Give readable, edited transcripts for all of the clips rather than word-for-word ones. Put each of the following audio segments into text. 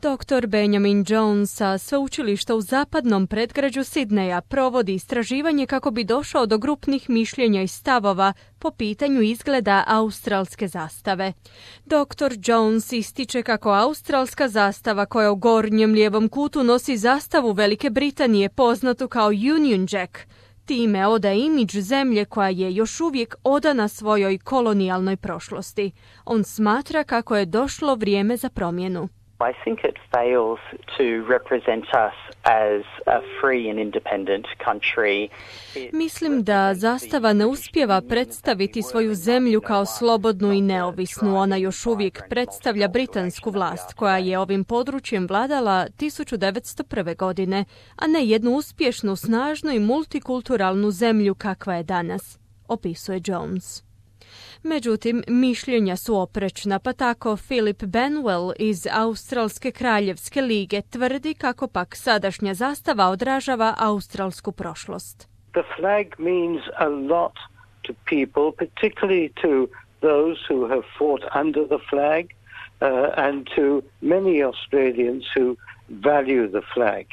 Dr. Benjamin Jones sa sveučilišta u zapadnom predgrađu Sidneja provodi istraživanje kako bi došao do grupnih mišljenja i stavova po pitanju izgleda australske zastave. Dr. Jones ističe kako australska zastava koja u gornjem lijevom kutu nosi zastavu Velike Britanije poznatu kao Union Jack, time odaje imidž zemlje koja je još uvijek odana svojoj kolonijalnoj prošlosti. On smatra kako je došlo vrijeme za promjenu. I think it fails to represent us as a free and independent country. Mislim da zastava ne uspijeva predstaviti svoju zemlju kao slobodnu i neovisnu. Ona još uvijek predstavlja britansku vlast koja je ovim područjem vladala 1901. godine, a ne jednu uspješnu, snažnu i multikulturalnu zemlju kakva je danas, opisuje Jones. Međutim, mišljenja su oprečna, pa tako Philip Benwell iz Australske kraljevske lige tvrdi kako pak sadašnja zastava odražava australsku prošlost. The flag means a lot to people, particularly to those who have fought under the flag and to many Australians who value the flag.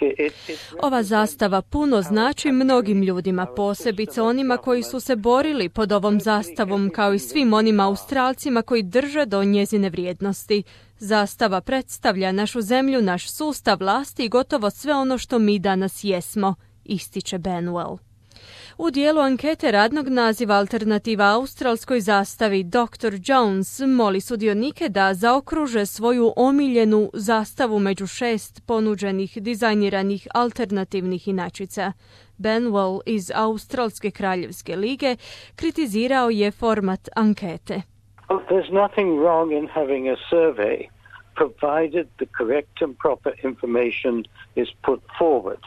Ova zastava puno znači mnogim ljudima, posebice onima koji su se borili pod ovom zastavom, kao i svim onim Australcima koji drže do njezine vrijednosti. Zastava predstavlja našu zemlju, naš sustav vlasti i gotovo sve ono što mi danas jesmo, ističe Benwell. U dijelu ankete radnog naziva Alternativa australskoj zastavi Dr. Jones moli sudionike da zaokruže svoju omiljenu zastavu među 6 ponuđenih dizajniranih alternativnih inačica. Benwell iz Australske kraljevske lige kritizirao je format ankete. There's nothing wrong in having a survey provided the correct and proper information is put forward.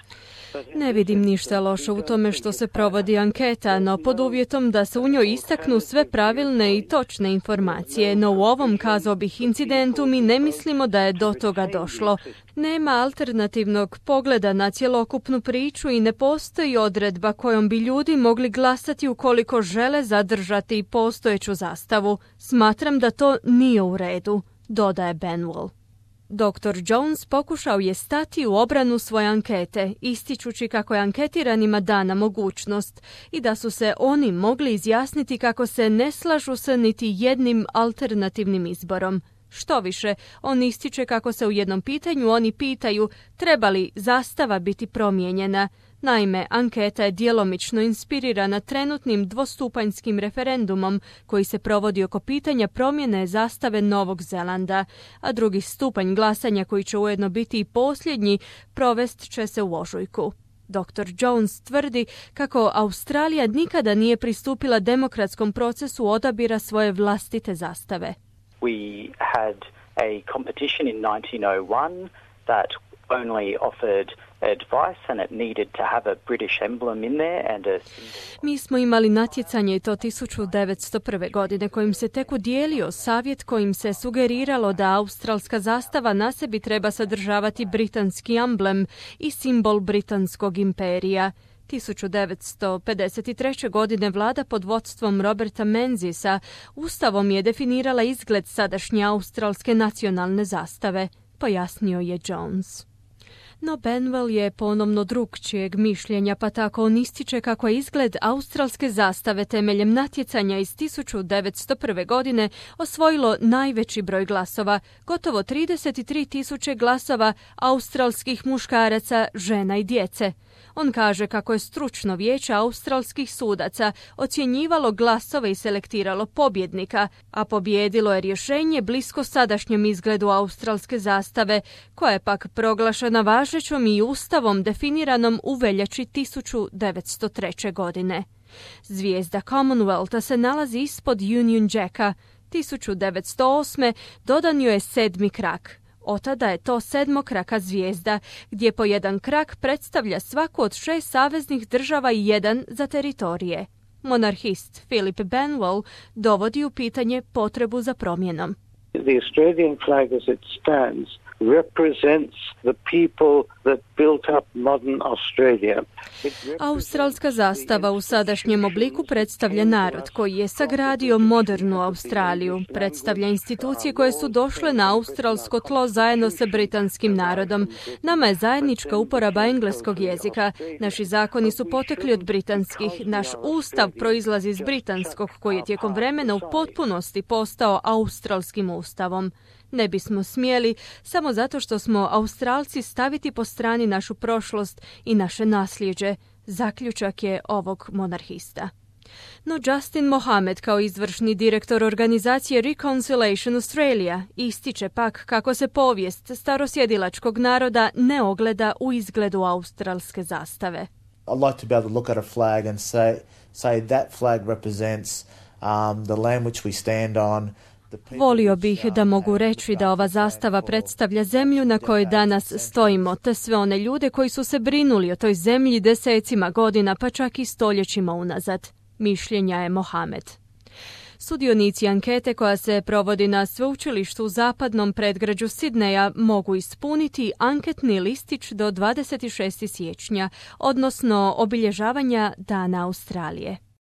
Ne vidim ništa loše u tome što se provodi anketa, no pod uvjetom da se u njoj istaknu sve pravilne i točne informacije. No u ovom, kazao bih, incidentu mi ne mislimo da je do toga došlo. Nema alternativnog pogleda na cjelokupnu priču i ne postoji odredba kojom bi ljudi mogli glasati ukoliko žele zadržati postojeću zastavu. Smatram da to nije u redu, dodaje Benwell. Dr. Jones pokušao je stati u obranu svoje ankete, ističući kako je anketiranima dana mogućnost i da su se oni mogli izjasniti kako se ne slažu sa niti jednim alternativnim izborom. Štoviše, on ističe kako se u jednom pitanju oni pitaju treba li zastava biti promijenjena. Naime, anketa je djelomično inspirirana trenutnim dvostupanjskim referendumom koji se provodi oko pitanja promjene zastave Novog Zelanda, a drugi stupanj glasanja koji će ujedno biti i posljednji provest će se u ožujku. Dr. Jones tvrdi kako Australija nikada nije pristupila demokratskom procesu odabira svoje vlastite zastave. We had a competition in 1901 that only offered advice and it needed to have a British emblem in there and a symbol. Mi smo imali natjecanje i to 1901. godine kojim se tek udijelio savjet kojim se sugeriralo da australska zastava na sebi treba sadržavati britanski emblem i simbol britanskog imperija. 1953. godine vlada pod vodstvom Roberta Menzisa ustavom je definirala izgled sadašnje australske nacionalne zastave, pojasnio je Jones. No Benwell je ponovno drukčijeg mišljenja, pa tako on ističe kako je izgled australske zastave temeljem natjecanja iz 1901. godine osvojilo najveći broj glasova, gotovo 33.000 glasova australskih muškaraca, žena i djece. On kaže kako je stručno vijeće australskih sudaca ocjenjivalo glasove i selektiralo pobjednika, a pobjedilo je rješenje blisko sadašnjem izgledu australske zastave, koja je pak proglašena važećom i ustavom definiranom u veljači 1903. godine. Zvijezda Commonwealtha se nalazi ispod Union Jacka. 1908. dodan joj je 7. krak. Otada je to sedmokraka zvijezda, gdje po jedan krak predstavlja svaku od 6 saveznih država i jedan za teritorije. Monarhist Philip Benwell dovodi u pitanje potrebu za promjenom. The Australian flag as it stands represents the people that built up modern Australia. Australska zastava u sadašnjem obliku predstavlja narod koji je sagradio modernu Australiju. Predstavlja institucije koje su došle na australsko tlo zajedno sa britanskim narodom. Nama je zajednička uporaba engleskog jezika. Naši zakoni su potekli od britanskih. Naš ustav proizlazi iz britanskog, koji je tijekom vremena u potpunosti postao australskim ustavom. Ne bismo smjeli, samo zato što smo Australci, staviti po strani našu prošlost i naše nasljeđe, zaključak je ovog monarhista. No Justin Mohamed, kao izvršni direktor organizacije Reconciliation Australia, ističe pak kako se povijest starosjedilačkog naroda ne ogleda u izgledu australske zastave. I'd like to be able to look at a flag and say that flag represents the land which we stand on. Volio bih da mogu reći da ova zastava predstavlja zemlju na kojoj danas stojimo, te sve one ljude koji su se brinuli o toj zemlji desecima godina, pa čak i stoljećima unazad. Mišljenja je Mohamed. Sudionici ankete koja se provodi na sveučilištu u zapadnom predgrađu Sidneja mogu ispuniti anketni listić do 26. siječnja, odnosno obilježavanja Dana Australije.